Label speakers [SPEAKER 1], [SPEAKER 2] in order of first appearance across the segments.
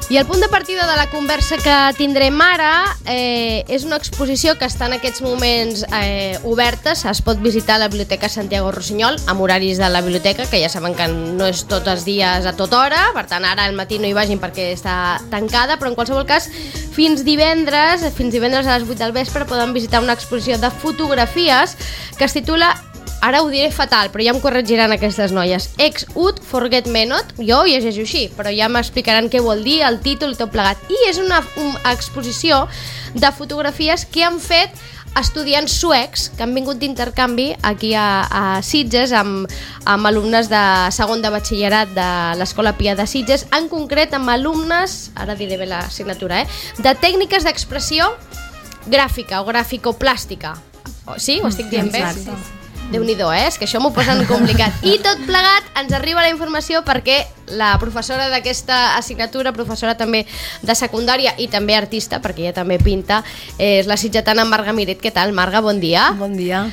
[SPEAKER 1] I el punt de partida de la conversa que tindrem ara és una exposició que està en aquests moments oberta. Es pot visitar a la Biblioteca Santiago Rossinyol amb horaris de la biblioteca, que ja saben que no és tots els dies a tota hora, per tant ara al matí no hi vagin perquè està tancada, però en qualsevol cas fins divendres a les 8 del vespre poden visitar una exposició de fotografies que es titula, ara ho diré fatal, però ja em corregiran aquestes noies, Ex Ut Forget Me Not. Jo ho llegeixo així, però ja m'explicaran què vol dir, el títol i tot plegat. I és una exposició de fotografies que han fet estudiants suecs que han vingut d'intercanvi aquí a Sitges amb alumnes de segon de batxillerat de l'Escola Pia de Sitges, en concret amb alumnes, ara diré bé la signatura, de tècniques d'expressió gràfica o graficoplàstica. Sí? Ho estic dient bé?
[SPEAKER 2] Exacte.
[SPEAKER 1] Déu-n'hi-do, és que això m'ho posen complicat. I tot plegat ens arriba la informació perquè la professora d'aquesta assignatura, professora també de secundària i també artista, perquè ella també pinta, és la sitgetana Marga Miret. Què tal, Marga? Bon dia.
[SPEAKER 2] Bon dia.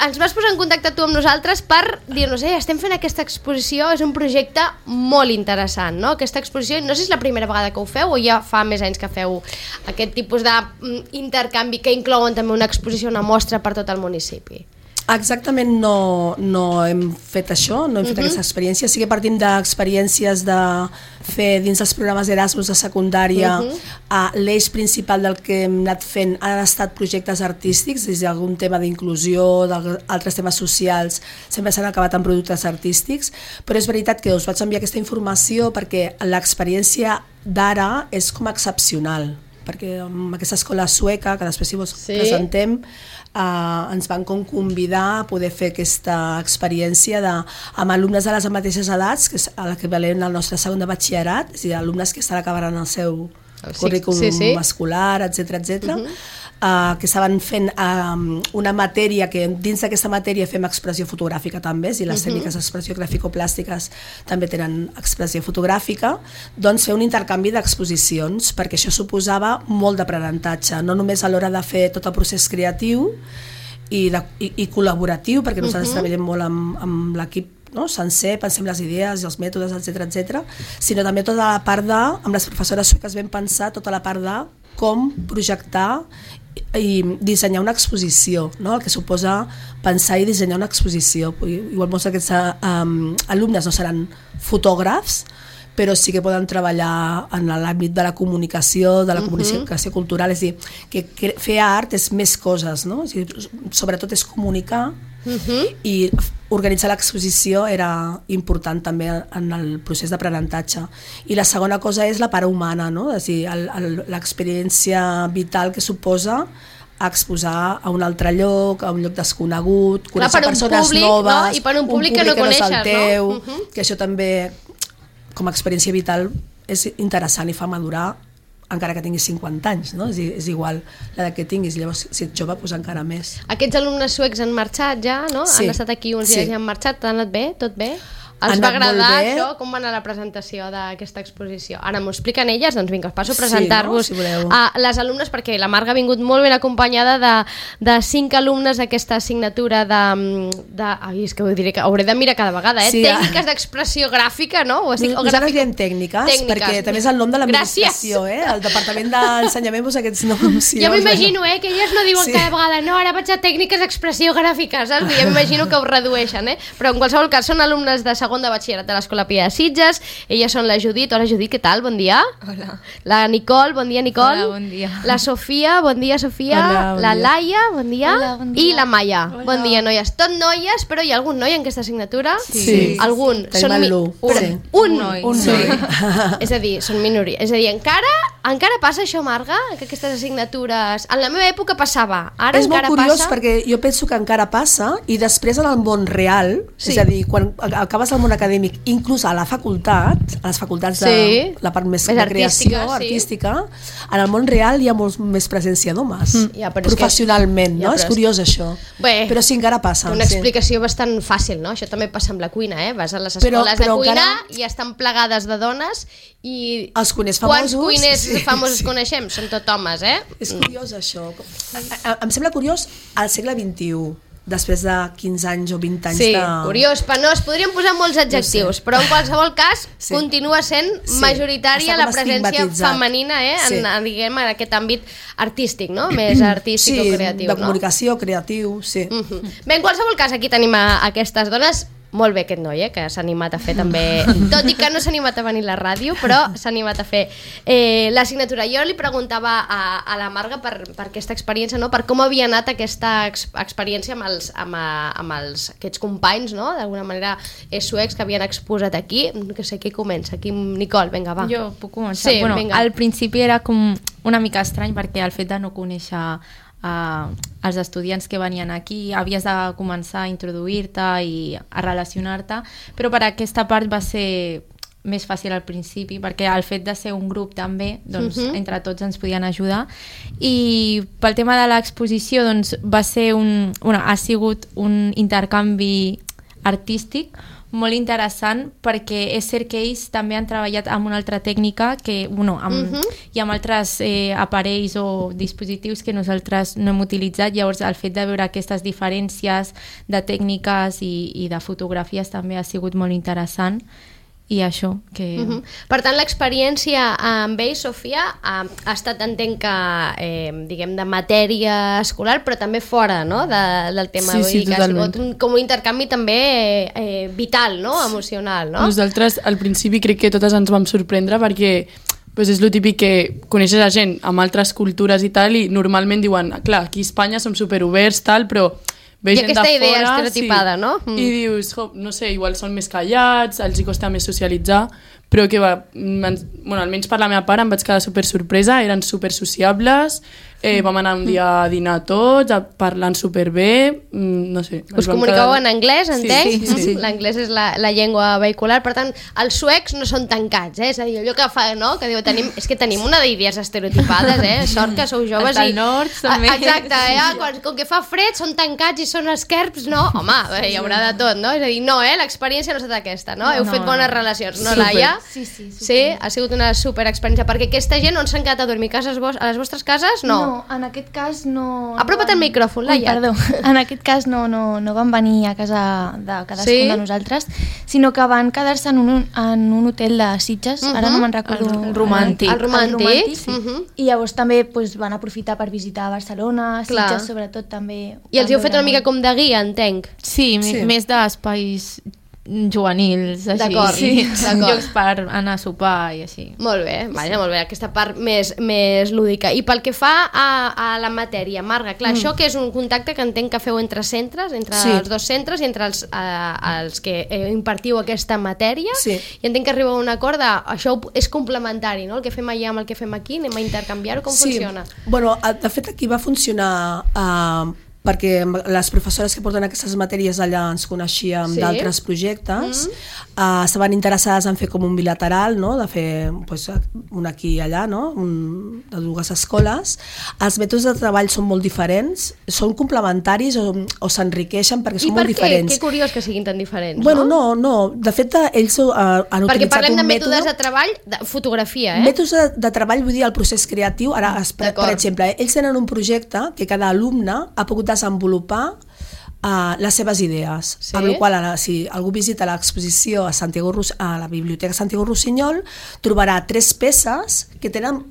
[SPEAKER 1] Ens vas posar en contacte tu amb nosaltres per dir-nos, estem fent aquesta exposició, és un projecte molt interessant, no? Aquesta exposició, no sé si és la primera vegada que ho feu o ja fa més anys que feu aquest tipus d'intercanvi que inclouen també una exposició, una mostra per tot el municipi.
[SPEAKER 2] Exactament no hem fet això, no hem fet aquesta experiència. Sí que partim d'experiències de fer dins dels programes Erasmus de secundària. L'eix principal del que hem anat fent han estat projectes artístics, des d'algun tema d'inclusió, d'altres temes socials, sempre s'han acabat en productes artístics, però és veritat que us vaig enviar aquesta informació perquè l'experiència d'ara és com excepcional, perquè amb aquesta escola sueca, que després si vos presentem, ens van convidar a poder fer aquesta experiència amb alumnes de les mateixes edats, que és a l'equivalent al nostre segon de batxillerat, és a dir, alumnes que estan acabant el seu currículum escolar, etc., que estaven fent una matèria que dins d'aquesta matèria fem expressió fotogràfica també, i les tècniques d'expressió graficoplàstiques també tenen expressió fotogràfica, doncs fer un intercanvi d'exposicions, perquè això suposava molt d'aprenentatge, no només a l'hora de fer tot el procés creatiu i col·laboratiu, perquè nosaltres treballem molt amb l'equip sencer, pensem les idees i els mètodes, etc., sinó també tota la part amb les professores sueques vam pensar tota la part de com projectar i dissenyar una exposició, no? El que suposa pensar i dissenyar una exposició. Igual molts d'aquests alumnes no seran fotògrafs, però sí que poden treballar en l'àmbit de la comunicació, de la comunicació cultural, és a dir, que fer art és més coses, no? És a dir, sobretot és comunicar, i organitzar l'exposició era important també en el procés d'aprenentatge. I la segona cosa és la part humana, no? És a dir, l'experiència vital que suposa exposar a un altre lloc, a un lloc desconegut, conèixer persones noves,
[SPEAKER 1] i per un públic que no coneixes,
[SPEAKER 2] és el teu, que això també com a experiència vital és interessant i fa madurar encara que tinguis 50 anys, no? És igual l'edat que tinguis, llavors si ets jove pues encara més.
[SPEAKER 1] Aquests alumnes suecs han marxat ja, no? Sí. Han estat aquí uns dies i han marxat, t'ha anat bé? Tot bé? Els va agradar això? Com va anar la presentació d'aquesta exposició? Ara m'ho expliquen elles, doncs vinga, passo a presentar-vos a les alumnes, perquè la Marga ha vingut molt ben acompanyada de 5 alumnes d'aquesta assignatura és que ho diré, que hauré de mirar cada vegada, tècniques d'expressió gràfica, no?
[SPEAKER 2] Nosaltres diem tècniques, perquè també és el nom de l'administració, el Departament d'Ensenyament posa aquests noms.
[SPEAKER 1] Jo m'imagino que elles no diuen cada vegada, no, ara vaig a tècniques d'expressió gràfica, saps? Jo m'imagino que ho redueixen, però en qualsevol cas són alumnes de segon de batxillerat de l'Escola Pia de Sitges. Elles són la Judit. Hola Judit, què tal? Bon dia.
[SPEAKER 3] Hola.
[SPEAKER 1] La Nicole, bon dia Nicole.
[SPEAKER 3] Hola, bon dia.
[SPEAKER 1] La Sofia, bon dia Sofia.
[SPEAKER 3] Hola, bon
[SPEAKER 1] la
[SPEAKER 3] dia.
[SPEAKER 1] Laia, bon dia.
[SPEAKER 3] Hola, bon dia.
[SPEAKER 1] I la Maia.
[SPEAKER 3] Hola.
[SPEAKER 1] Bon dia, noies. Tot noies, però hi ha algun noi en aquesta assignatura?
[SPEAKER 2] Sí.
[SPEAKER 1] Algun?
[SPEAKER 2] Tenim el Lu.
[SPEAKER 1] Un
[SPEAKER 3] noi.
[SPEAKER 1] És a dir, són minoria. És a dir, encara passa això, Marga? Que aquestes assignatures... En la meva època passava. Ara
[SPEAKER 2] és
[SPEAKER 1] encara
[SPEAKER 2] molt curiós
[SPEAKER 1] passa?
[SPEAKER 2] perquè jo penso que encara passa i després en el món real, és a dir, quan acabes el món acadèmic, inclús a la facultat, a les facultats de la part més de creació artística, en el món real hi ha molt més presència d'homes, professionalment, no? És curiós això. Però sí, encara passa.
[SPEAKER 1] Una explicació bastant fàcil, no? Això també passa amb la cuina, Vas a les escoles de cuina i estan plegades de dones i...
[SPEAKER 2] Els cuiners famosos...
[SPEAKER 1] Quants cuiners famosos coneixem? Són tot homes,
[SPEAKER 2] És curiós això. Em sembla curiós al segle XXI. després de 15 anys o 20 anys
[SPEAKER 1] sí,
[SPEAKER 2] de...
[SPEAKER 1] curiós, penós, podríem posar molts adjectius, però en qualsevol cas continua sent majoritària la presència femenina en aquest àmbit artístic, no? Més artístic o creatiu.
[SPEAKER 2] Sí, de comunicació, creatiu, sí.
[SPEAKER 1] Bé, en qualsevol cas, aquí tenim aquestes dones. Molt bé aquest noi, que s'ha animat a fer també, tot i que no s'ha animat a venir a la ràdio, però s'ha animat a fer la signatura. Jo li preguntava a la Marga per aquesta experiència, no? Per com havia anat aquesta experiència amb aquests companys, no? D'alguna manera suecs que havien exposat aquí. No sé qui comença, aquí Nicole, vinga, va.
[SPEAKER 3] Jo puc començar. Sí, bueno, al principi era com una mica estrany perquè el fet de no conèixer els estudiants que venien aquí havies de començar a introduir-te i a relacionar-te, però per aquesta part va ser més fàcil al principi perquè el fet de ser un grup també, doncs entre tots ens podien ajudar. I pel tema de l'exposició, doncs va ser ha sigut un intercanvi artístic molt interessant perquè és cert que ells també han treballat amb una altra tècnica i amb altres aparells o dispositius que nosaltres no hem utilitzat. Llavors el fet de veure aquestes diferències de tècniques i de fotografies també ha sigut molt interessant. I això que...
[SPEAKER 1] Per tant, l'experiència amb ells, Sofia, ha estat, entenc que, diguem, de matèria escolar, però també fora, no?, del tema.
[SPEAKER 4] Sí, totalment.
[SPEAKER 1] Com un intercanvi també vital, no?, emocional, no?
[SPEAKER 4] Nosaltres, al principi, crec que totes ens vam sorprendre perquè és el típic que coneixes a gent amb altres cultures i tal, i normalment diuen, clar, aquí a Espanya som superoberts, tal, però...
[SPEAKER 1] I aquesta idea estereotipada, no?
[SPEAKER 4] I dius, no sé, igual són més callats, els hi costa més socialitzar, però que almenys per la meva part em vaig quedar super sorpresa, eren super sociables, vam anar un dia a dinar tots, parlant superbé, no sé.
[SPEAKER 1] Us comunicàveu en anglès, entenc?
[SPEAKER 4] Sí.
[SPEAKER 1] L'anglès és la llengua vehicular, per tant, els suecs no són tancats, és a dir, allò que fa, no?, que diu, és que tenim una d'idees estereotipades, sort que sou joves
[SPEAKER 3] i... El nord, també.
[SPEAKER 1] Exacte, com que fa fred, són tancats i són esquerps, no? Home, hi haurà de tot, no? És a dir, no, l'experiència no ha estat aquesta, no? Heu fet bones relacions, no, Laia? Sí, ha sigut una super experiència, perquè aquesta gent on s'han quedat a dormir? A les vostres cases? No,
[SPEAKER 5] en aquest cas no...
[SPEAKER 1] Apropa't al micròfon, Laia.
[SPEAKER 5] Perdó, en aquest cas no van venir a casa de cadascun de nosaltres, sinó que van quedar-se en un hotel de Sitges, ara no me'n recordo...
[SPEAKER 1] El romàntic. El romàntic.
[SPEAKER 5] I llavors també van aprofitar per visitar Barcelona, Sitges sobretot també...
[SPEAKER 1] I els heu fet una mica com de guia, entenc?
[SPEAKER 3] Sí, més d'espais juvenils, així.
[SPEAKER 1] D'acord, sí.
[SPEAKER 3] Llocs per anar a sopar i així.
[SPEAKER 1] Molt bé, molt bé, aquesta part més lúdica. I pel que fa a la matèria, Marga, clar, això que és un contacte que entenc que feu entre centres, entre els dos centres i entre els que impartiu aquesta matèria, i entenc que arribeu a un acord això és complementari, no? El que fem allà amb el que fem aquí, anem a intercanviar-ho, com funciona?
[SPEAKER 2] Bueno, de fet aquí va funcionar... perquè les professores que porten aquestes matèries allà ens coneixíem d'altres projectes, estaven interessades en fer com un bilateral, no? De fer un aquí i allà, no? De dues escoles. Els mètodes de treball són molt diferents, són complementaris o s'enriqueixen perquè són molt diferents.
[SPEAKER 1] I per què? Que curiós que siguin tan diferents,
[SPEAKER 2] no? No. De fet, ells han utilitzat un mètode... Perquè parlem
[SPEAKER 1] de mètodes de treball, de fotografia,
[SPEAKER 2] Mètodes de treball, vull dir, el procés creatiu. Ara, per exemple, ells tenen un projecte que cada alumne ha pogut desenvolupar les seves idees, amb la qual cosa, si algú visita l'exposició a la Biblioteca Santiago Rossinyol, trobarà 3 peces que tenen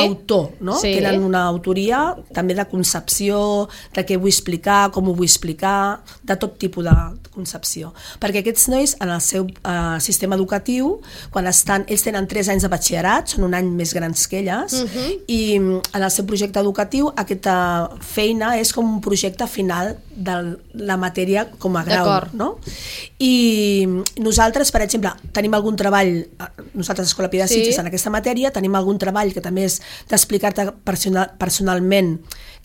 [SPEAKER 2] autor, no? Tenen una autoria també de concepció, de què vull explicar, com ho vull explicar, de tot tipus de concepció. Perquè aquests nois, en el seu sistema educatiu, ells tenen 3 anys de batxillerat, són un any més grans que elles, i en el seu projecte educatiu aquesta feina és com un projecte final de la matèria com a grau, no? I nosaltres, per exemple, tenim algun treball, nosaltres a Escola Pia de Sitges, en aquesta matèria, tenim algun treball que també és d'explicar-te personalment,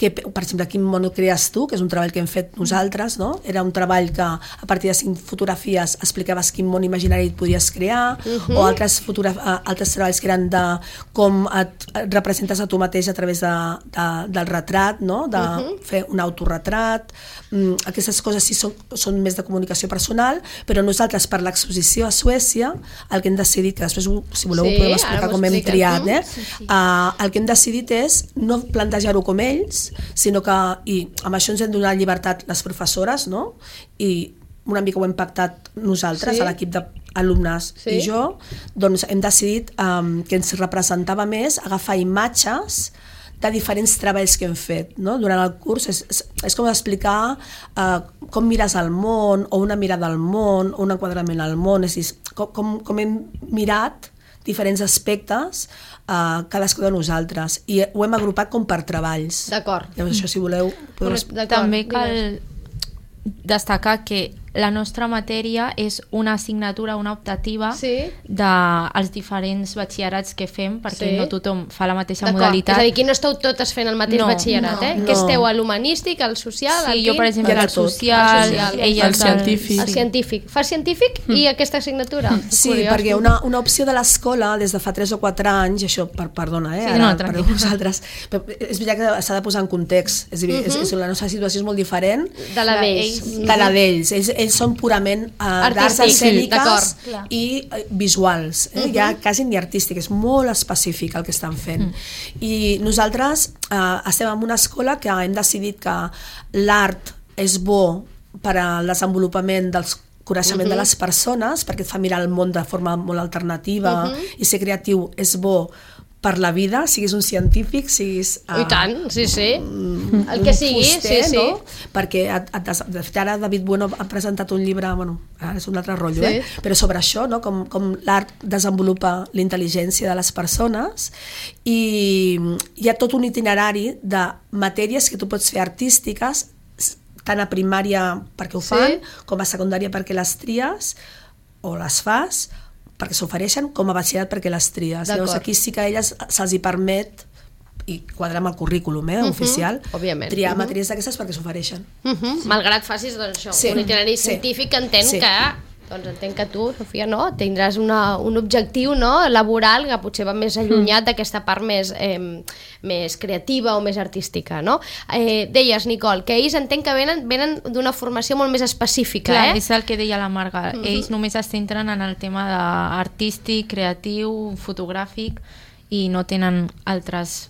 [SPEAKER 2] per exemple, quin món crees tu, que és un treball que hem fet nosaltres, no? Era un treball que a partir de 5 fotografies explicaves quin món imaginari et podies crear, o altres treballs que eren de com et representes a tu mateix a través del retrat, no? De fer un autorretrat. Aquestes coses sí són més de comunicació personal, però nosaltres per l'exposició a Suècia el que hem decidit, que després si voleu ho podem explicar com hem triat, el que hem decidit és no plantejar-ho com ells, sinó que i amb això ens hem donat llibertat les professores, no? I una mica ho hem pactat nosaltres, a l'equip d'alumnes i jo, doncs hem decidit que ens representava més agafar imatges de diferents treballs que hem fet, no? Durant el curs és com explicar com mires el món, o una mirada al món, o un enquadrament al món, és a dir, com hem mirat diferents aspectes cadascú de nosaltres, i ho hem agrupat com per treballs.
[SPEAKER 1] D'acord.
[SPEAKER 2] Llavors això, si voleu...
[SPEAKER 3] També cal destacar que la nostra matèria és una assignatura, una optativa dels diferents batxillerats que fem, perquè no tothom fa la mateixa modalitat.
[SPEAKER 1] És a dir, aquí no esteu totes fent el mateix batxillerat, que esteu a l'humanístic, al social, al quin?
[SPEAKER 3] Sí, jo per exemple al social, ella al científic.
[SPEAKER 1] El científic. Fas científic i aquesta assignatura?
[SPEAKER 2] Sí, perquè una opció de l'escola des de fa 3 o 4 anys, això, perdona, per vosaltres, és veritat que s'ha de posar en context, és a dir, la nostra situació és molt diferent
[SPEAKER 1] de la d'ells.
[SPEAKER 2] De la d'ells. Ells són purament d'arts escèniques i visuals, ja quasi ni artístic, és molt específic el que estan fent. I nosaltres estem en una escola que hem decidit que l'art és bo per al desenvolupament dels coneixement de les persones, perquè et fa mirar el món de forma molt alternativa, i ser creatiu és bo per la vida, siguis un científic, siguis...
[SPEAKER 1] I tant, sí. El que sigui,
[SPEAKER 2] fuster,
[SPEAKER 1] sí.
[SPEAKER 2] No? Perquè, de fet, ara David Bueno ha presentat un llibre, bueno, ara és un altre rotllo, però sobre això, no? Com l'art desenvolupa la intel·ligència de les persones, i hi ha tot un itinerari de matèries que tu pots fer artístiques, tant a primària perquè ho fan, com a secundària perquè les tries, o les fas, perquè s'ofereixen, com a batxillerat perquè les tries. Llavors aquí sí que a elles se'ls hi permet, i quadra amb el currículum oficial, triar matèries d'aquestes perquè s'ofereixen.
[SPEAKER 1] Malgrat facis això, un itinerari científic, que entenc que tu, Sofia, tindràs un objectiu laboral que potser va més allunyat d'aquesta part més creativa o més artística, no? Deies, Nicole, que ells entenc que venen d'una formació molt més específica,
[SPEAKER 3] Clar, és el que deia la Marga. Ells només es centren en el tema artístic, creatiu, fotogràfic, i no tenen altres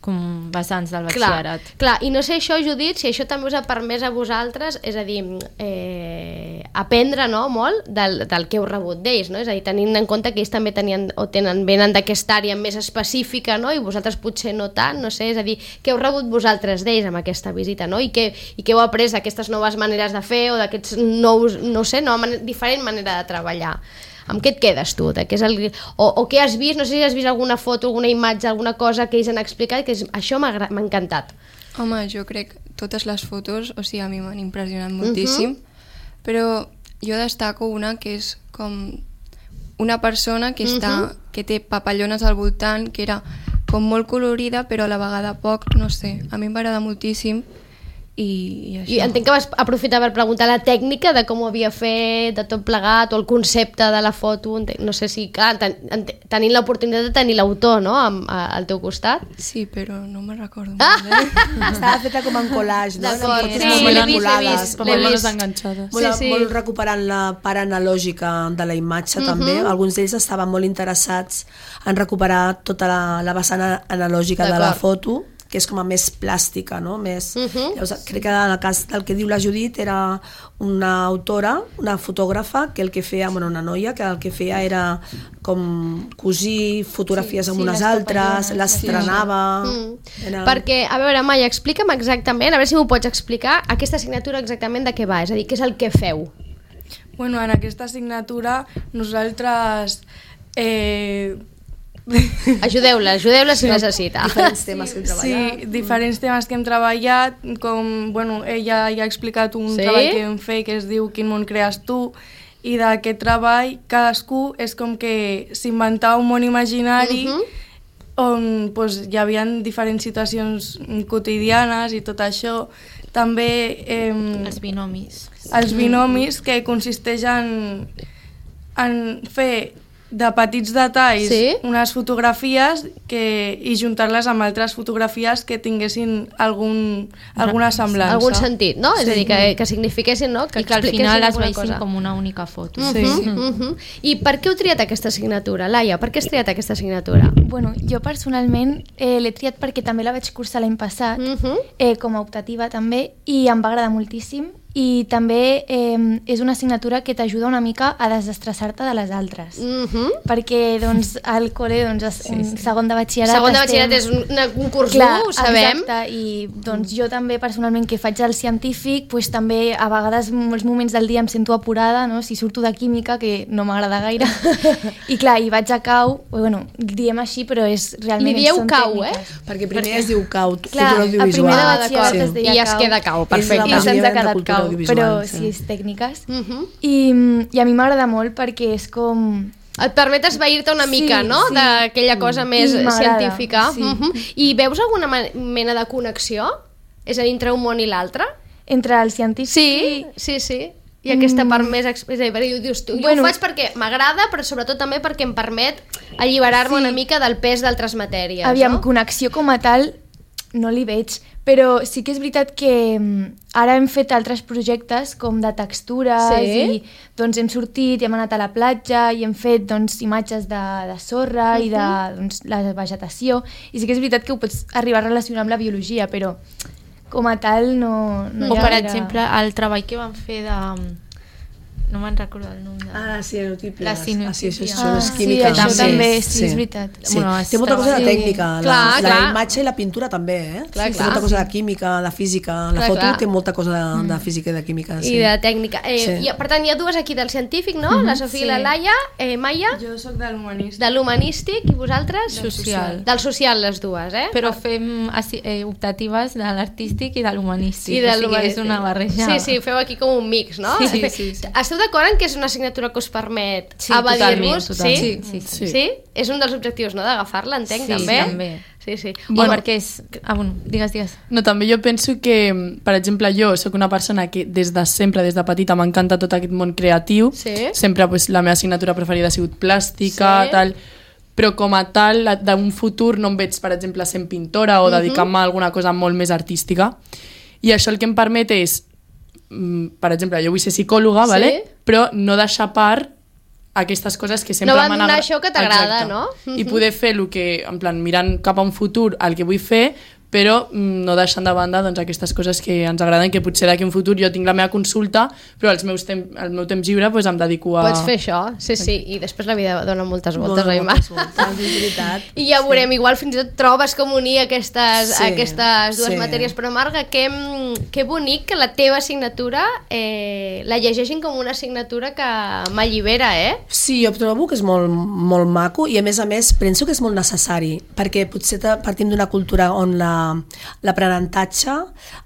[SPEAKER 3] com vessants del batxillerat.
[SPEAKER 1] Clar, i no sé això, Judit, si això també us ha permès a vosaltres, és a dir, aprendre molt del que heu rebut d'ells, no? És a dir, tenint en compte que ells també venen d'aquesta àrea més específica, no? I vosaltres potser no tant, no sé, és a dir, què heu rebut vosaltres d'ells amb aquesta visita, no? I què heu après d'aquestes noves maneres de fer o d'aquests nous, no sé, diferent manera de treballar. Amb què et quedes tu? O què has vist? No sé si has vist alguna foto, alguna imatge, alguna cosa que ells han explicat, que això m'ha encantat.
[SPEAKER 6] Home, jo crec totes les fotos, o sigui, a mi m'han impressionat moltíssim, però jo destaco una que és com una persona que que té papallones al voltant, que era com molt colorida, però a la vegada poc, no sé, a mi em va agradar moltíssim. I això.
[SPEAKER 1] I entenc que vas aprofitar per preguntar la tècnica de com ho havia fet, de tot plegat, o el concepte de la foto. No sé si, clar, tenint l'oportunitat de tenir l'autor, no?, al teu costat.
[SPEAKER 6] Sí, però no me'n recordo.
[SPEAKER 2] Estava feta com en collage, no?
[SPEAKER 1] D'acord,
[SPEAKER 2] l'he
[SPEAKER 1] vist.
[SPEAKER 2] Molt recuperant la part analògica de la imatge, també. Alguns d'ells estaven molt interessats en recuperar tota la vessant analògica de la foto, que és com a més plàstica, no? Llavors, crec que en el cas del que diu la Judit era una autora, una fotògrafa, que el que feia, una noia, que el que feia era com cosir fotografies amb unes altres, les estrenava...
[SPEAKER 1] Perquè, a veure, Maia, explica'm exactament, a veure si m'ho pots explicar, aquesta assignatura exactament de què va, és a dir, què és el que feu?
[SPEAKER 7] Bueno, en aquesta assignatura nosaltres...
[SPEAKER 1] Ajudeu-la si necessita.
[SPEAKER 2] Diferents temes que hem treballat.
[SPEAKER 7] Sí, diferents temes que hem treballat, com, ella ja ha explicat un treball que hem fet que es diu Quin món crees tu, i d'aquest treball cadascú és com que s'inventava un món imaginari on hi havia diferents situacions quotidianes i tot això. També
[SPEAKER 3] els binomis.
[SPEAKER 7] Els binomis, que consisteix en fer de petits detalls, unes fotografies i juntar-les amb altres fotografies que tinguessin alguna semblança.
[SPEAKER 1] Algun sentit, no? És a dir, que signifiquessin, no?
[SPEAKER 3] I que al final es veiessin com una única foto.
[SPEAKER 1] I per què heu triat aquesta assignatura? Laia, per què has triat aquesta assignatura?
[SPEAKER 5] Bueno, jo personalment l'he triat perquè també la vaig cursar l'any passat, com a optativa també, i em va agradar moltíssim. I també és una assignatura que t'ajuda una mica a desestressar-te de les altres, perquè doncs, al col·le segon de batxillerat
[SPEAKER 1] és un curs dur, ho sabem.
[SPEAKER 5] Exacte, i doncs, jo també personalment que faig el científic, doncs, també a vegades molts moments del dia em sento apurada, no? Si surto de química, que no m'agrada gaire, i clar, i vaig a cau, bueno, diem així, però és realment...
[SPEAKER 1] Li dieu cau,
[SPEAKER 2] Perquè primer es diu cau,
[SPEAKER 5] clar, a primer de batxillerat es deia cau.
[SPEAKER 1] I es queda cau, perfecte.
[SPEAKER 5] I se'ns ha quedat cau. Però sí, és tècniques. I a mi m'agrada molt perquè és com...
[SPEAKER 1] Et permet esvair-te una mica, no? D'aquella cosa més científica. I veus alguna mena de connexió? És a dir, entre un món i l'altre?
[SPEAKER 5] Entre el científic
[SPEAKER 1] Sí. I aquesta part més... Dius, jo ho faig perquè m'agrada, però sobretot també perquè em permet alliberar-me una mica del pes d'altres matèries.
[SPEAKER 5] Aviam, connexió com a tal no li veig, però sí que és veritat que ara hem fet altres projectes com de textures i doncs hem sortit i hem anat a la platja i hem fet doncs, imatges de sorra i de doncs, la vegetació, i sí que és veritat que ho pots arribar a relacionar amb la biologia, però com a tal no
[SPEAKER 3] o per exemple el treball que vam fer de... no me'n recordo el nom de...
[SPEAKER 2] cianotípies.
[SPEAKER 3] Les cianotípies.
[SPEAKER 2] Químiques.
[SPEAKER 5] Això també, sí, és veritat.
[SPEAKER 2] Sí. Té molta cosa de tècnica, la imatge i la pintura també, Té molta cosa de química, de física, la foto té molta cosa de física i de química.
[SPEAKER 1] I de tècnica. Per tant, hi ha dues aquí del científic, no? La Sofia i la Laia. Maia?
[SPEAKER 7] Jo soc de l'humanístic.
[SPEAKER 1] De l'humanístic, i vosaltres?
[SPEAKER 3] Social.
[SPEAKER 1] Del social, les dues,
[SPEAKER 3] Però fem optatives de l'artístic i de l'humanístic. O sigui, és una barreja.
[SPEAKER 1] Sí, feu aquí com un mix, no?
[SPEAKER 3] Sí.
[SPEAKER 1] Esteu d'acord en que és una assignatura que us permet evadir-vos? Sí? És un dels objectius, no?, d'agafar-la, entenc, també?
[SPEAKER 3] Sí, també.
[SPEAKER 1] Sí.
[SPEAKER 3] Bueno, perquè és... digues.
[SPEAKER 4] No, també jo penso que, per exemple, jo sóc una persona que des de sempre, des de petita, m'encanta tot aquest món creatiu. Sempre la meva assignatura preferida ha sigut plàstica, tal, però com a tal, d'un futur no em veig, per exemple, sent pintora o dedicant-me a alguna cosa molt més artística. I això el que em permet és, per exemple, jo vull ser psicòloga, però no deixar part aquestes coses que sempre m'han agradat.
[SPEAKER 1] No abandonar això que t'agrada, no?
[SPEAKER 4] I poder fer el que, en plan, mirant cap a un futur, el que vull fer, però no deixant de banda doncs, aquestes coses que ens agraden, que potser d'aquí un futur jo tinc la meva consulta, però el meu temps lliure doncs, em dedico a...
[SPEAKER 1] Pots fer això, sí, i després la vida dona moltes voltes, oi, Mar? I ja veurem, igual fins i tot trobes com unir aquestes dues matèries, però Marga, que bonic que la teva assignatura la llegeixin com una assignatura que m'allibera,
[SPEAKER 2] Sí, jo trobo que és molt maco i a més penso que és molt necessari, perquè potser partim d'una cultura on l'aprenentatge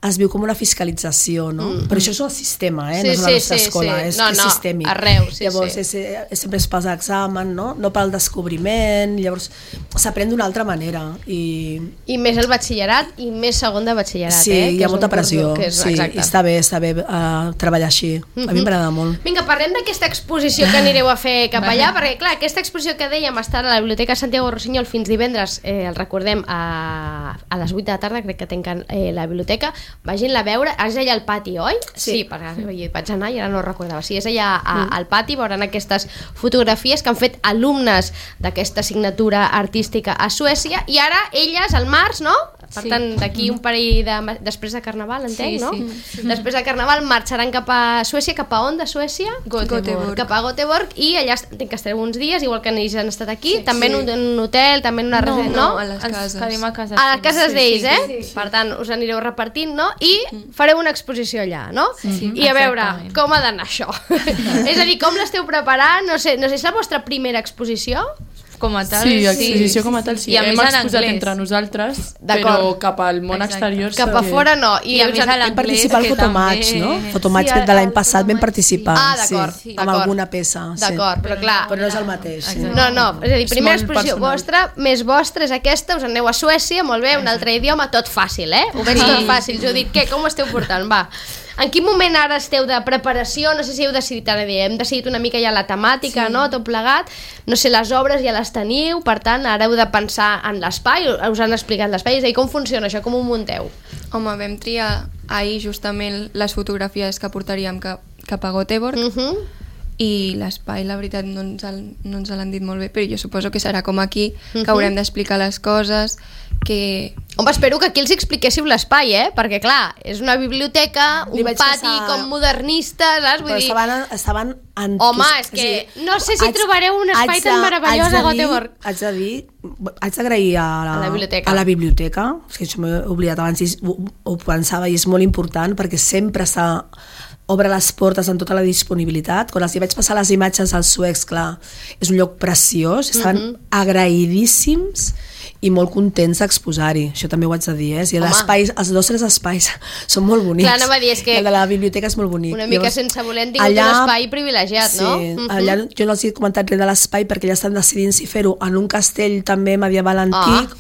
[SPEAKER 2] es viu com una fiscalització, no? Però això és el sistema, no és la nostra escola, és sistèmic.
[SPEAKER 1] Arreu,
[SPEAKER 2] llavors sempre es passa examen, no pel descobriment, llavors s'aprèn d'una altra manera.
[SPEAKER 1] I més el batxillerat i més segon de batxillerat,
[SPEAKER 2] Sí, hi ha molta pressió, i està bé treballar així, a mi m'agrada molt.
[SPEAKER 1] Vinga, parlem d'aquesta exposició que anireu a fer cap allà, perquè clar, aquesta exposició que dèiem està a la Biblioteca Santiago Rossinyol fins divendres, el recordem, a les 8 de la tarda, crec que tanquen la biblioteca, vagin-la a veure, és allà al pati, oi? Sí, perquè vaig anar i ara no ho recordava. Sí, és allà al pati, veuran aquestes fotografies que han fet alumnes d'aquesta assignatura artística a Suècia, i ara elles al març, no? Per tant, d'aquí un parell després de Carnaval, entenc, no? Després de Carnaval marxaran cap a Suècia, cap a on de Suècia?
[SPEAKER 6] Göteborg.
[SPEAKER 1] Cap a Göteborg, i allà entenc que estareu uns dies, igual que ells han estat aquí, també en un hotel, també en una residència, no?
[SPEAKER 6] A les cases.
[SPEAKER 1] A les cases d'ells, Per tant, us anireu repartint, no? I fareu una exposició allà, no? I a veure, com ha d'anar això? És a dir, com l'esteu preparant? No sé, és la vostra primera exposició?
[SPEAKER 3] Com a tal,
[SPEAKER 4] sí. Exposició com a tal, sí.
[SPEAKER 3] I a
[SPEAKER 4] hem
[SPEAKER 3] més
[SPEAKER 4] exposat entre nosaltres, però cap al món exterior...
[SPEAKER 1] Cap a fora no.
[SPEAKER 3] I a més a l'anglès,
[SPEAKER 2] participar al Fotomatch, no? Fotomatch de l'any passat vam participar.
[SPEAKER 1] D'acord.
[SPEAKER 2] Amb alguna peça.
[SPEAKER 1] D'acord, però clar...
[SPEAKER 2] Però no és el mateix.
[SPEAKER 1] No, és a dir, primera exposició vostra, més vostra és aquesta, us aneu a Suècia, molt bé, un altre idioma, tot fàcil, Ho veig tot fàcil. Jo dic, com ho esteu portant? Va. En quin moment ara esteu de preparació? No sé si heu decidit, ara hem decidit una mica ja la temàtica, no? Tot plegat. No sé, les obres ja les teniu, per tant, ara heu de pensar en l'espai, us han explicat l'espai, és a dir, com funciona això, com ho munteu?
[SPEAKER 6] Home, vam triar ahir justament les fotografies que portaríem cap a Göteborg, i l'espai, la veritat, no ens l'han dit molt bé, però jo suposo que serà com aquí, que haurem d'explicar les coses, que...
[SPEAKER 1] Home, espero que aquí els expliquéssiu l'espai, perquè clar, és una biblioteca, un pati com modernista, saps? Vull dir...
[SPEAKER 2] Estaven
[SPEAKER 1] home, és que no sé si trobareu un espai tan meravellós a Göteborg.
[SPEAKER 2] Haig d'agrair a la biblioteca, és que això m'he oblidat abans i ho pensava, i és molt important perquè sempre obre les portes en tota la disponibilitat. Quan els hi vaig passar les imatges als suecs, clar, és un lloc preciós, estaven agraïdíssims i molt contents d'exposar-hi, això també ho haig de dir, i els dos espais són molt bonics.
[SPEAKER 1] Clar, anava a dir, és que
[SPEAKER 2] el de la biblioteca és molt bonic.
[SPEAKER 1] Una mica sense voler hem tingut un espai privilegiat, no?
[SPEAKER 2] Sí, allà jo no els he comentat res de l'espai perquè ja estan decidint si fer-ho en un castell també medieval antic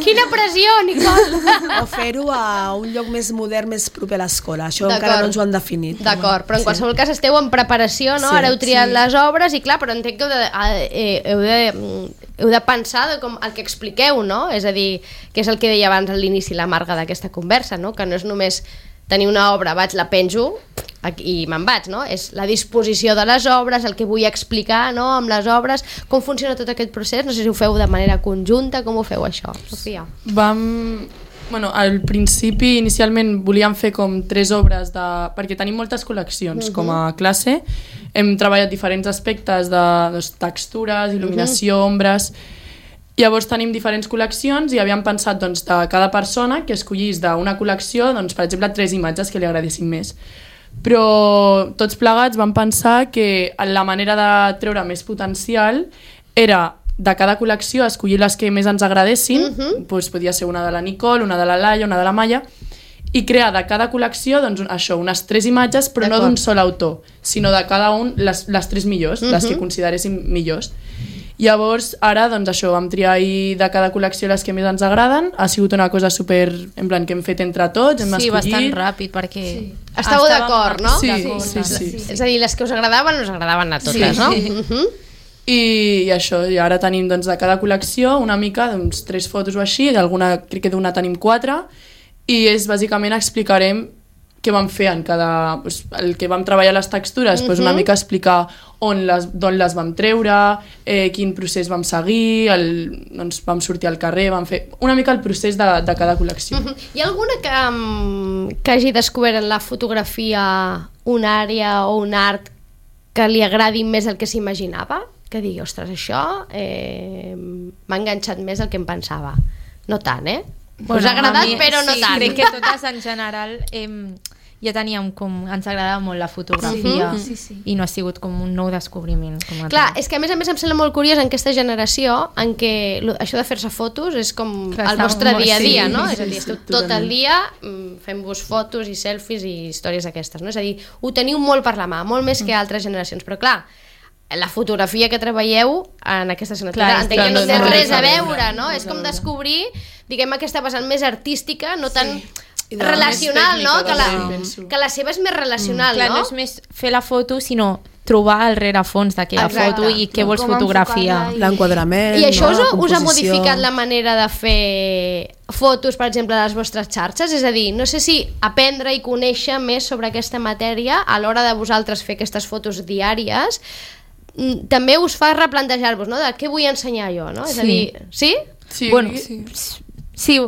[SPEAKER 1] Quina pressió, Nicole!
[SPEAKER 2] O fer-ho a un lloc més modern, més proper a l'escola. Això encara no ens ho han definit.
[SPEAKER 1] D'acord, però en qualsevol cas esteu en preparació, no? Ara heu triat les obres i clar, però entenc que heu de pensar com el que expliqueu, no? És a dir, que és el que deia abans a l'inici la Marga d'aquesta conversa, no? Que no és només tenir una obra, la penjo i me'n vaig, no? És la disposició de les obres, el que vull explicar, no? Amb les obres, com funciona tot aquest procés, no sé si ho feu de manera conjunta, com ho feu això, Sofia?
[SPEAKER 4] Al principi, inicialment, volíem fer com 3 obres, perquè tenim moltes col·leccions com a classe, hem treballat diferents aspectes de textures, il·luminació, ombres. Llavors tenim diferents col·leccions i havíem pensat de cada persona que escollís d'una col·lecció, per exemple, 3 imatges que li agradessin més. Però tots plegats vam pensar que la manera de treure més potencial era de cada col·lecció escollir les que més ens agradessin, podia ser una de la Nicole, una de la Laia, una de la Maia, i crear de cada col·lecció unes 3 imatges, però no d'un sol autor, sinó de cada un les 3 millors, les que consideréssim millors. Llavors, ara, vam triar de cada col·lecció les que més ens agraden. Ha sigut una cosa super, en plan, que hem fet entre tots, hem escollit.
[SPEAKER 3] Bastant ràpid, perquè...
[SPEAKER 1] Estàveu d'acord, no?
[SPEAKER 4] Sí.
[SPEAKER 1] És a dir, les que us agradaven a totes, no?
[SPEAKER 4] I això, i ara tenim de cada col·lecció una mica, 3 fotos o així, crec que d'una tenim 4, i bàsicament explicarem què vam fer en cada... el que vam treballar les textures, una mica explicar d'on les vam treure, quin procés vam seguir, vam sortir al carrer, vam fer una mica el procés de cada col·lecció.
[SPEAKER 1] Hi ha alguna que hagi descobert en la fotografia una àrea o un art que li agradi més el que s'imaginava? Que digui, ostres, això m'ha enganxat més del que em pensava. No tant, us ha agradat, però no tant.
[SPEAKER 3] Crec que totes en general ja teníem ens agradava molt la fotografia i no ha sigut com un nou descobriment.
[SPEAKER 1] Clar, és que a més em sembla molt curiós en aquesta generació en què això de fer-se fotos és com el vostre dia a dia, no? És a dir, esteu tot el dia fent-vos fotos i selfies i històries d'aquestes, no? És a dir, ho teniu molt per la mà, molt més que altres generacions, però clar, la fotografia que treballeu en aquesta assignatura entenc que no té res a veure, no? És com descobrir, diguem, aquesta vessant més artística, no tan relacional, no? Que la seva és més relacional, no?
[SPEAKER 3] Clar, no és més fer la foto, sinó trobar el rerefons d'aquella foto i què vols fotografiar.
[SPEAKER 2] L'enquadrament,
[SPEAKER 1] i això us ha modificat la manera de fer fotos, per exemple, a les vostres xarxes? És a dir, no sé si aprendre i conèixer més sobre aquesta matèria a l'hora de vosaltres fer aquestes fotos diàries també us fa replantejar-vos, no? De què vull ensenyar jo, no? És a dir, sí?
[SPEAKER 3] Sí,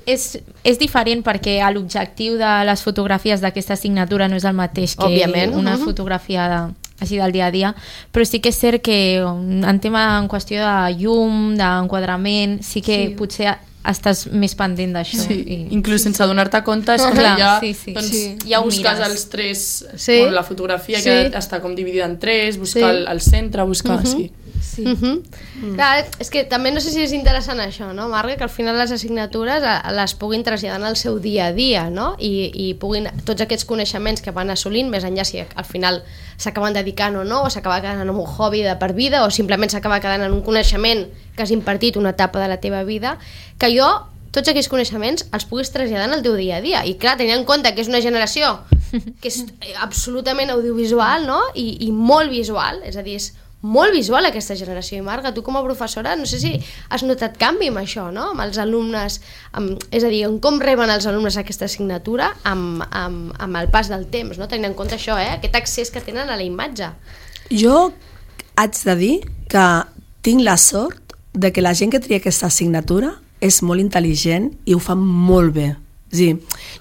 [SPEAKER 3] és diferent perquè l'objectiu de les fotografies d'aquesta assignatura no és el mateix que una fotografia així del dia a dia, però sí que és cert que en qüestió de llum, d'enquadrament, sí que potser estàs més pendent d'això.
[SPEAKER 4] Inclús sense donar-te compte és que ja busques els 3, la fotografia que està com dividida en 3, buscar el centre, buscar...
[SPEAKER 1] Clar, és que també no sé si és interessant això, no, Marga, que al final les assignatures les puguin traslladar al seu dia a dia, no? I puguin, tots aquests coneixements que van assolint, més enllà si al final s'acaben dedicant o no, o s'acaba quedant en un hobby de per vida, o simplement s'acaba quedant en un coneixement que has impartit una etapa de la teva vida, que jo tots aquells coneixements els puguis traslladar en el teu dia a dia. I clar, tenint en compte que és una generació que és absolutament audiovisual, no? I molt visual, és a dir, és molt visual aquesta generació. I Marga, tu com a professora, no sé si has notat canvi amb això, no? Amb els alumnes, és a dir, com reben els alumnes aquesta assignatura amb el pas del temps, no? Tenint en compte això, aquest accés que tenen a la imatge.
[SPEAKER 2] Jo haig de dir que tinc la sort de que la gent que tria aquesta assignatura és molt intel·ligent i ho fa molt bé. Sí,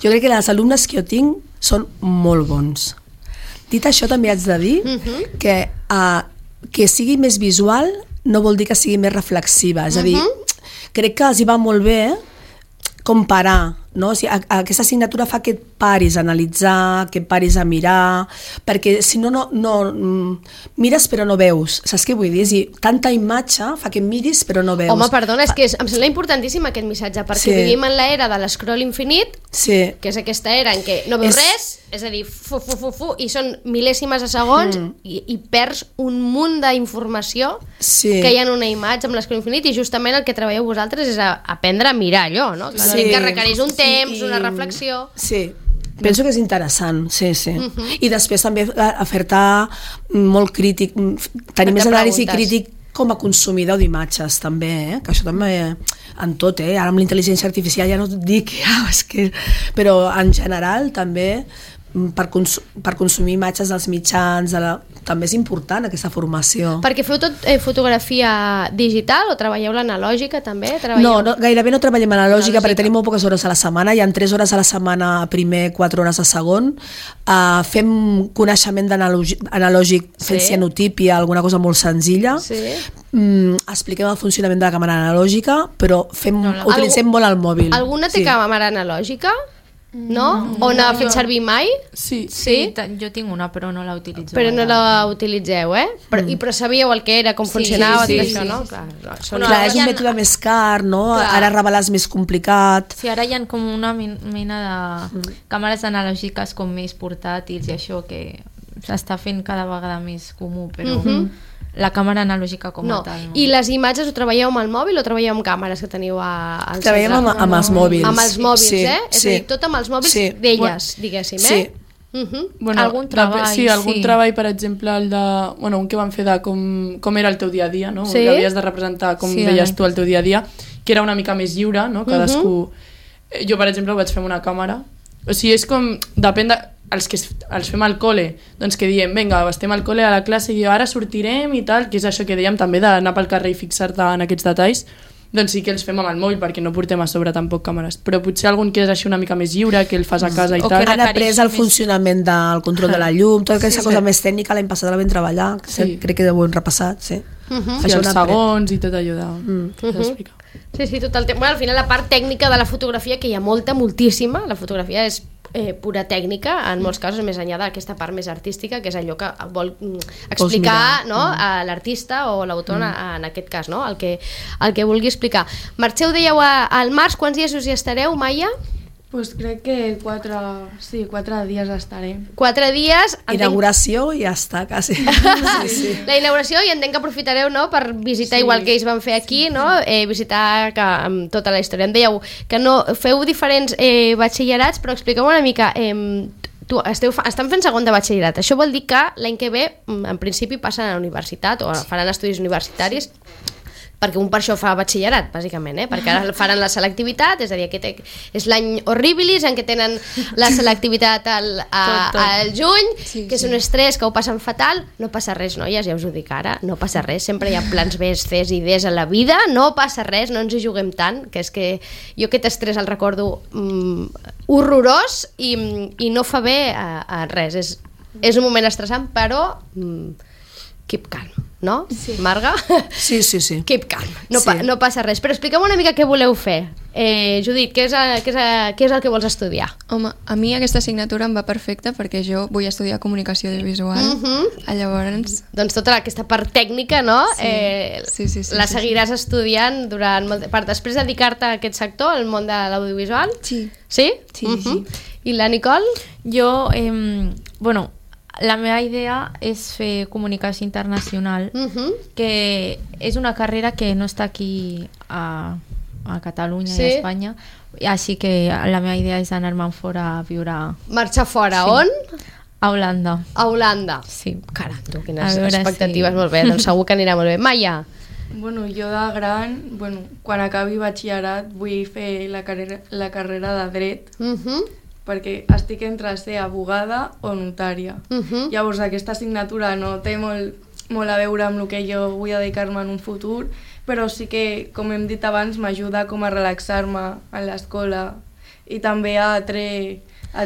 [SPEAKER 2] jo crec que els alumnes que jo tinc són molt bons. Dit això, també haig de dir que sigui més visual no vol dir que sigui més reflexiva. És a dir, crec que els hi va molt bé comparar, no? O sigui, aquesta assignatura fa que et paris a analitzar, que et paris a mirar, perquè si no, mires però no veus, saps què vull dir? És a dir, tanta imatge fa que miris però no veus.
[SPEAKER 1] Home, perdona, és que em sembla importantíssim aquest missatge, perquè vivim en l'era de l'escroll infinit, que és aquesta era en què no veus res, és a dir, i són mil·lèsimes de segons i perds un munt d'informació que hi ha en una imatge amb l'escroll infinit, i justament el que treballeu vosaltres és aprendre a mirar allò, no? Que requereix un temps, una reflexió.
[SPEAKER 2] Sí, penso que és interessant, sí. I després també fer-te molt crític, tenir més anàlisi crític com a consumidor d'imatges també, que això també en tot, ara amb la intel·ligència artificial ja no et dic, però en general també per consumir imatges dels mitjans, també és important aquesta formació.
[SPEAKER 1] Perquè feu tot fotografia digital o treballeu l'analògica també?
[SPEAKER 2] No, gairebé no treballem analògica perquè tenim molt poques hores a la setmana, hi ha 3 hores a la setmana a primer, 4 hores a segon, fem coneixement analògic fent cianotípia, alguna cosa molt senzilla, expliquem el funcionament de la càmera analògica, però utilitzem molt el mòbil.
[SPEAKER 1] Alguna té càmera analògica? No? O no ha fet servir mai?
[SPEAKER 3] Sí, jo tinc una però no la utilitzo.
[SPEAKER 1] Però no la utilitzeu, Però sabíeu el que era, com funcionava, tot això, no?
[SPEAKER 2] Clar, és un mètode més car, no? Ara revelar és més complicat.
[SPEAKER 3] Sí, ara hi ha com una mena de càmeres analògiques com més portàtils i això que s'està fent cada vegada més comú, però la càmera analògica com a tal.
[SPEAKER 1] I les imatges ho treballeu amb el mòbil o treballeu amb càmeres que teniu al centre?
[SPEAKER 2] Treballem amb els mòbils.
[SPEAKER 1] Amb els mòbils, És a dir, tot amb els mòbils d'elles, diguéssim,
[SPEAKER 3] Algun treball.
[SPEAKER 4] Sí, algun treball, per exemple, un que vam fer de com era el teu dia a dia, no? Que havies de representar com veies tu el teu dia a dia, que era una mica més lliure, no? Cadascú... Jo, per exemple, ho vaig fer amb una càmera. O sigui, és com... Depèn de... Els que els fem al col·le, doncs que diem, vinga, estem al col·le a la classe i ara sortirem i tal, que és això que dèiem també d'anar pel carrer i fixar-te en aquests detalls, doncs sí que els fem amb el mòbil perquè no portem a sobre tampoc càmeres, però potser algun que és així una mica més lliure, que el fas a casa i tal.
[SPEAKER 2] Han après el funcionament del control de la llum, tota aquesta cosa més tècnica, l'any passat la vam treballar, crec que ho hem repassat,
[SPEAKER 4] els segons i tot allò d'explicar.
[SPEAKER 1] Sí, tot el temps. Al final la part tècnica de la fotografia, que hi ha moltíssima, la fotografia és pura tècnica, en molts casos, més enllà d'aquesta part més artística, que és allò que vol explicar a l'artista o l'autor, en aquest cas, el que vulgui explicar. Marxeu, dèieu, al març, quants dies us hi estareu, Maia?
[SPEAKER 7] Pues crec que 4 dies estaré.
[SPEAKER 1] 4 dies...
[SPEAKER 2] Inauguració i ja està, quasi.
[SPEAKER 1] La inauguració, i entenc que aprofitareu per visitar, igual que ells van fer aquí, visitar tota la història. Em dèieu que no feu diferents batxillerats, però expliqueu una mica... estan fent segon de batxillerat. Això vol dir que l'any que ve, en principi, passen a la universitat o faran estudis universitaris, perquè un per això fa batxillerat, bàsicament, perquè ara faran la selectivitat, és a dir, aquest és l'any horribilis en què tenen la selectivitat al juny, que és un estrès que ho passen fatal. No passa res, noies, ja us ho dic ara, no passa res, sempre hi ha plans B, Cs i Ds a la vida, no passa res, no ens hi juguem tant, que és que jo aquest estrès el recordo horrorós i no fa bé a res, és un moment estressant, però keep calm. No? Marga?
[SPEAKER 2] Sí.
[SPEAKER 1] Keep calm, no passa res. Però expliqueu una mica què voleu fer. Judit, què és el que vols estudiar?
[SPEAKER 6] Home, a mi aquesta assignatura em va perfecta perquè jo vull estudiar comunicació audiovisual. Llavors...
[SPEAKER 1] Doncs tota aquesta part tècnica, no?
[SPEAKER 6] Sí,
[SPEAKER 1] la seguiràs estudiant durant per després dedicar-te a aquest sector, al món de l'audiovisual?
[SPEAKER 6] Sí.
[SPEAKER 1] Sí?
[SPEAKER 6] Sí.
[SPEAKER 1] I la Nicole?
[SPEAKER 3] Jo, la meva idea és fer comunicació internacional, que és una carrera que no està aquí a Catalunya i a Espanya, així que la meva idea és anar-me'n fora a viure...
[SPEAKER 1] Marxar fora, on?
[SPEAKER 3] A Holanda.
[SPEAKER 1] A Holanda?
[SPEAKER 3] Sí.
[SPEAKER 1] Caram, tu, quines expectatives, molt bé, doncs segur que anirà molt bé. Maia?
[SPEAKER 7] Bueno, jo de gran, quan acabi batxillerat vull fer la carrera de dret, perquè estic entre ser abogada o notària. Llavors aquesta assignatura no té molt a veure amb el que jo vull dedicar-me en un futur, però sí que, com hem dit abans, m'ajuda com a relaxar-me a l'escola i també a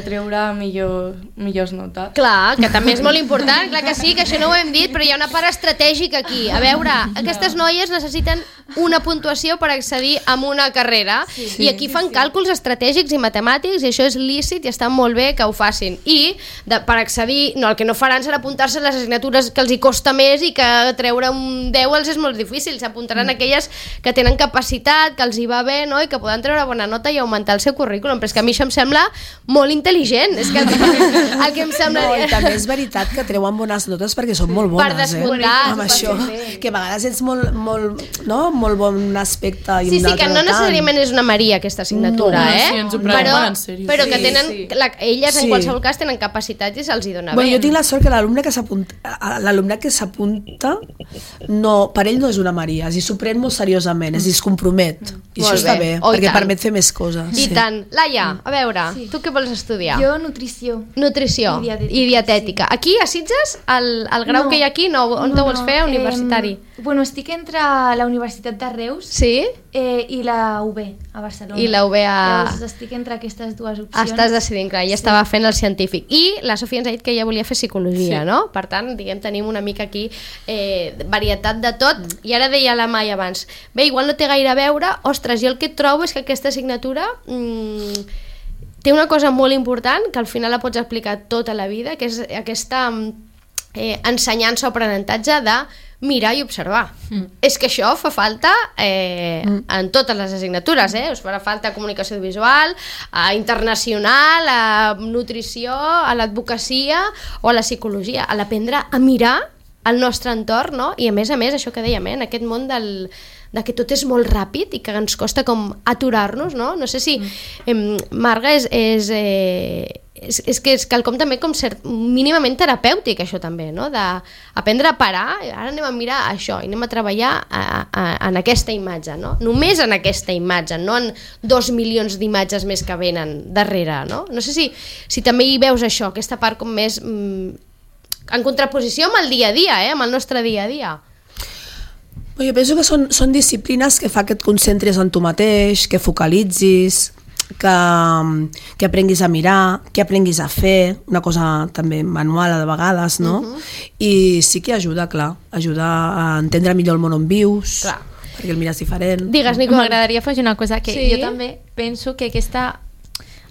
[SPEAKER 7] treure millors notes.
[SPEAKER 1] Clar, que també és molt important, clar que sí, que això no ho hem dit, però hi ha una part estratègica aquí. A veure, aquestes noies necessiten una puntuació per accedir a una carrera i aquí fan càlculs estratègics i matemàtics i això és lícit i està molt bé que ho facin. I per accedir, el que no faran serà apuntar-se a les assignatures que els hi costa més i que treure un 10 els és molt difícil. S'apuntaran aquelles que tenen capacitat, que els hi va bé, no? I que poden treure bona nota i augmentar el seu currículum. Però és que a mi això em sembla molt intel·ligent. És que el que em sembla...
[SPEAKER 2] No, i també és veritat que treuen bones notes perquè són molt bones.
[SPEAKER 1] Per descomptar.
[SPEAKER 2] Amb això, que a vegades ets molt bon aspecte i un altre
[SPEAKER 1] que no necessàriament és una Maria aquesta assignatura,
[SPEAKER 4] Sí, ens ho prenem molt en sèrio.
[SPEAKER 1] Però que tenen, elles en qualsevol cas tenen capacitat i se'ls hi dona bé.
[SPEAKER 2] Jo tinc la sort que l'alumne que s'apunta per ell no és una Maria, s'ho pren molt seriosament, es compromet i això està bé, perquè permet fer més coses.
[SPEAKER 1] I tant. Laia, a veure, tu què vols estudiar?
[SPEAKER 5] Jo nutrició.
[SPEAKER 1] Nutrició i dietètica. Aquí, a Sitges, el grau que hi ha aquí, on te vols fer, universitari?
[SPEAKER 5] Bueno, estic entre la Universitat de Reus i la UB, a Barcelona.
[SPEAKER 1] I la UB a...
[SPEAKER 5] Llavors estic entre aquestes dues opcions.
[SPEAKER 1] Estàs decidint, clar, ja estava fent el científic. I la Sofia ens ha dit que ella volia fer psicologia, no? Per tant, tenim una mica aquí varietat de tot. I ara deia la Maia abans, bé, igual no té gaire a veure, ostres, jo el que trobo és que aquesta assignatura té una cosa molt important, que al final la pots aplicar tota la vida, que és aquesta ensenyança o aprenentatge de mirar i observar. És que això fa falta en totes les assignatures, us farà falta comunicació visual, internacional, a nutrició, a l'advocacia o a la psicologia, a l'aprendre a mirar el nostre entorn, no? I a més, això que dèiem, en aquest món de que tot és molt ràpid i que ens costa com aturar-nos, no? No sé si Marga és que és quelcom també com mínimament terapèutic, això també, no? D'aprendre a parar, ara anem a mirar això i anem a treballar en aquesta imatge, no? Només en aquesta imatge, no en 2 milions d'imatges més que venen darrere, no? No sé si també hi veus això, aquesta part com més en contraposició amb el dia a dia, amb el nostre dia a dia.
[SPEAKER 2] Jo penso que són disciplines que fa que et concentris en tu mateix, que focalitzis, que aprenguis a mirar, que aprenguis a fer, una cosa també manual de vegades, no? I sí que ajuda, clar, ajuda a entendre millor el món on vius, perquè el mires diferent.
[SPEAKER 1] Digues, Nicole.
[SPEAKER 3] M'agradaria afegir una cosa, que jo també penso que aquesta,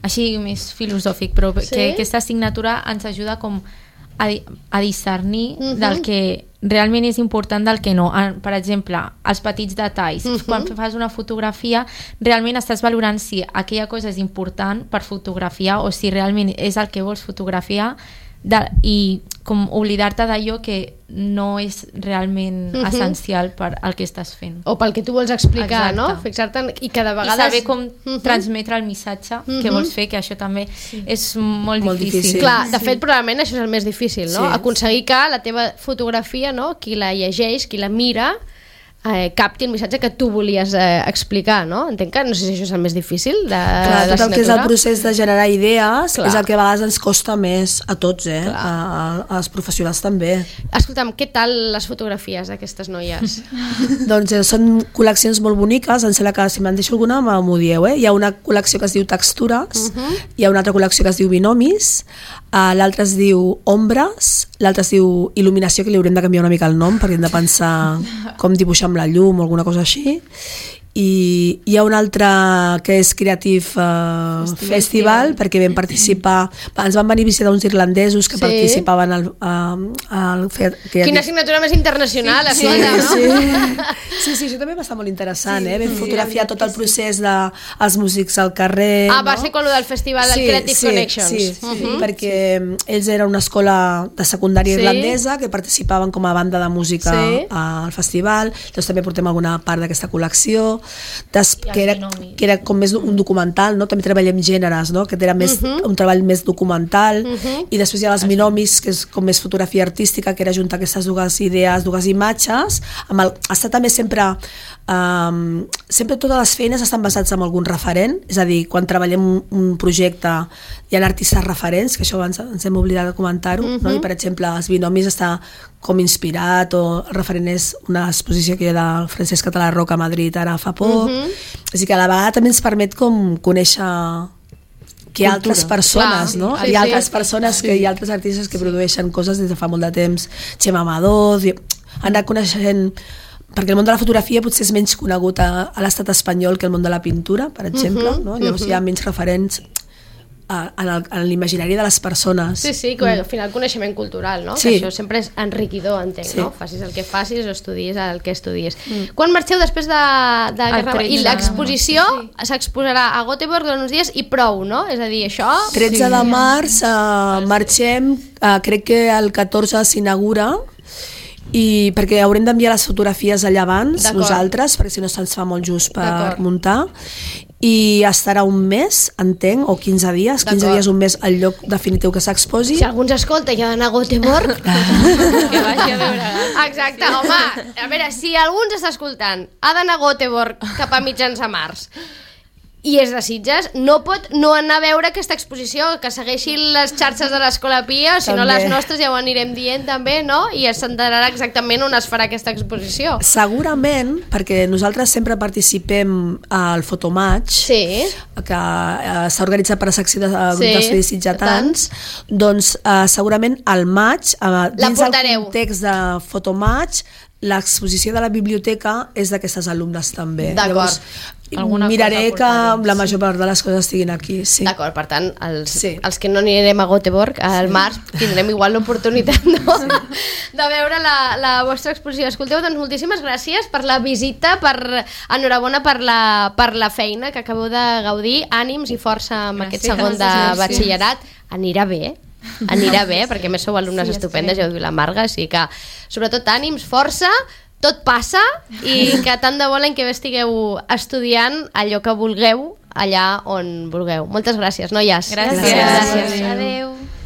[SPEAKER 3] així més filosòfic, però que aquesta assignatura ens ajuda com a discernir del que realment és important del que no. Per exemple, els petits detalls. Quan fas una fotografia, realment estàs valorant si aquella cosa és important per fotografiar o si realment és el que vols fotografiar i com oblidar-te d'allò que no és realment essencial per al que estàs fent.
[SPEAKER 1] O pel que tu vols explicar, no? Fixar-te i que de vegades...
[SPEAKER 3] I saber com transmetre el missatge que vols fer, que això també és molt difícil.
[SPEAKER 1] Clar, de fet, probablement això és el més difícil, no? Aconseguir que la teva fotografia, no? Qui la llegeix, qui la mira, capti el missatge que tu volies explicar, no? Entenc que no sé si això és el més difícil de l'assignatura.
[SPEAKER 2] Tot el que és el procés de generar idees és el que a vegades ens costa més a tots, als professionals també.
[SPEAKER 1] Escolta'm, què tal les fotografies d'aquestes noies?
[SPEAKER 2] Doncs són col·leccions molt boniques, em sembla que si me'n deixo alguna m'ho dieu, Hi ha una col·lecció que es diu Textures, hi ha una altra col·lecció que es diu Binomis, l'altra es diu Ombres, l'altra es diu Il·luminació, que li haurem de canviar una mica el nom perquè hem de pensar com dibuixar amb la llum o alguna cosa així, i hi ha un altre que és Creative Festival, perquè vam participar, ens van venir a visitar uns irlandesos que participaven al
[SPEAKER 1] Quina assignatura més internacional,
[SPEAKER 2] sí, això també va estar molt interessant, vam fotografiar tot el procés dels músics al carrer.
[SPEAKER 1] Va ser com el del festival del Creative Connections.
[SPEAKER 2] Perquè ells eren una escola de secundària irlandesa que participaven com a banda de música al festival, doncs també portem alguna part d'aquesta col·lecció. que era com més un documental, no? També treballem gèneres, no? Que era més un treball més documental, i després hi ha els binomis, que és com més fotografia artística, que era juntar aquestes dues idees, dues imatges, està també sempre totes les feines estan basades en algun referent, és a dir, quan treballem un projecte hi ha artistes referents, que això abans ens hem oblidat de comentar-ho, no? I per exemple els binomis està com inspirat, o el referent és una exposició que hi ha del Francesc Català Roca a Madrid ara fa poc, així que a la vegada també ens permet com conèixer que hi ha altres persones, no? Hi ha altres persones, hi ha altres artistes que produeixen coses des de fa molt de temps, Xema Amador, han anat coneixent, perquè el món de la fotografia potser és menys conegut a l'estat espanyol que el món de la pintura, per exemple, no? Llavors hi ha menys referents en l'imaginari de les persones.
[SPEAKER 1] Sí, que al final coneixement cultural, no? Que això sempre és enriquidor, entenc, no? Facis el que facis o estudies el que estudies. Quan marxeu després de Guerra? I l'exposició s'exposarà a Göteborg durant uns dies i prou, no? És a dir, això...
[SPEAKER 2] 13 de març marxem, crec que el 14 s'inaugura, i perquè haurem d'enviar les fotografies allà abans nosaltres, perquè si no se'ns fa molt just per muntar, i estarà un mes, entenc, o 15 dies, 15 dies, un mes al lloc definitiu que s'exposi.
[SPEAKER 1] Si algú ens escolta i ha d'anar a Göteborg, que vagi a veure. Exacte, home, a veure, si algú ens està escoltant, ha d'anar a Göteborg cap a mitjans de març, i és de Sitges, no pot no anar a veure aquesta exposició, que segueixi les xarxes de l'Escola Pia, si no les nostres ja ho anirem dient també, no? I s'enterarà exactament on es farà aquesta exposició.
[SPEAKER 2] Segurament, perquè nosaltres sempre participem al Fotomatch, que s'ha organitzat per a secció de grup d'estudis sitgetans, doncs segurament al maig, dins del context de Fotomatch, l'exposició de la biblioteca és d'aquestes alumnes també.
[SPEAKER 1] D'acord.
[SPEAKER 2] Miraré que la major part de les coses estiguin aquí.
[SPEAKER 1] D'acord, per tant, els que no anirem a Göteborg al març tindrem igual l'oportunitat de veure la vostra exposició. Escolteu, doncs moltíssimes gràcies per la visita, enhorabona per la feina que acabeu de gaudir, ànims i força amb aquest segon de batxillerat. Anirà bé, perquè a més sou alumnes estupendes, ja ho diu la Marga, així que sobretot ànims, força, tot passa, i que tant de bo l'any que ve estigueu estudiant allò que vulgueu allà on vulgueu. Moltes gràcies, noies.
[SPEAKER 3] Gràcies.
[SPEAKER 1] Adéu.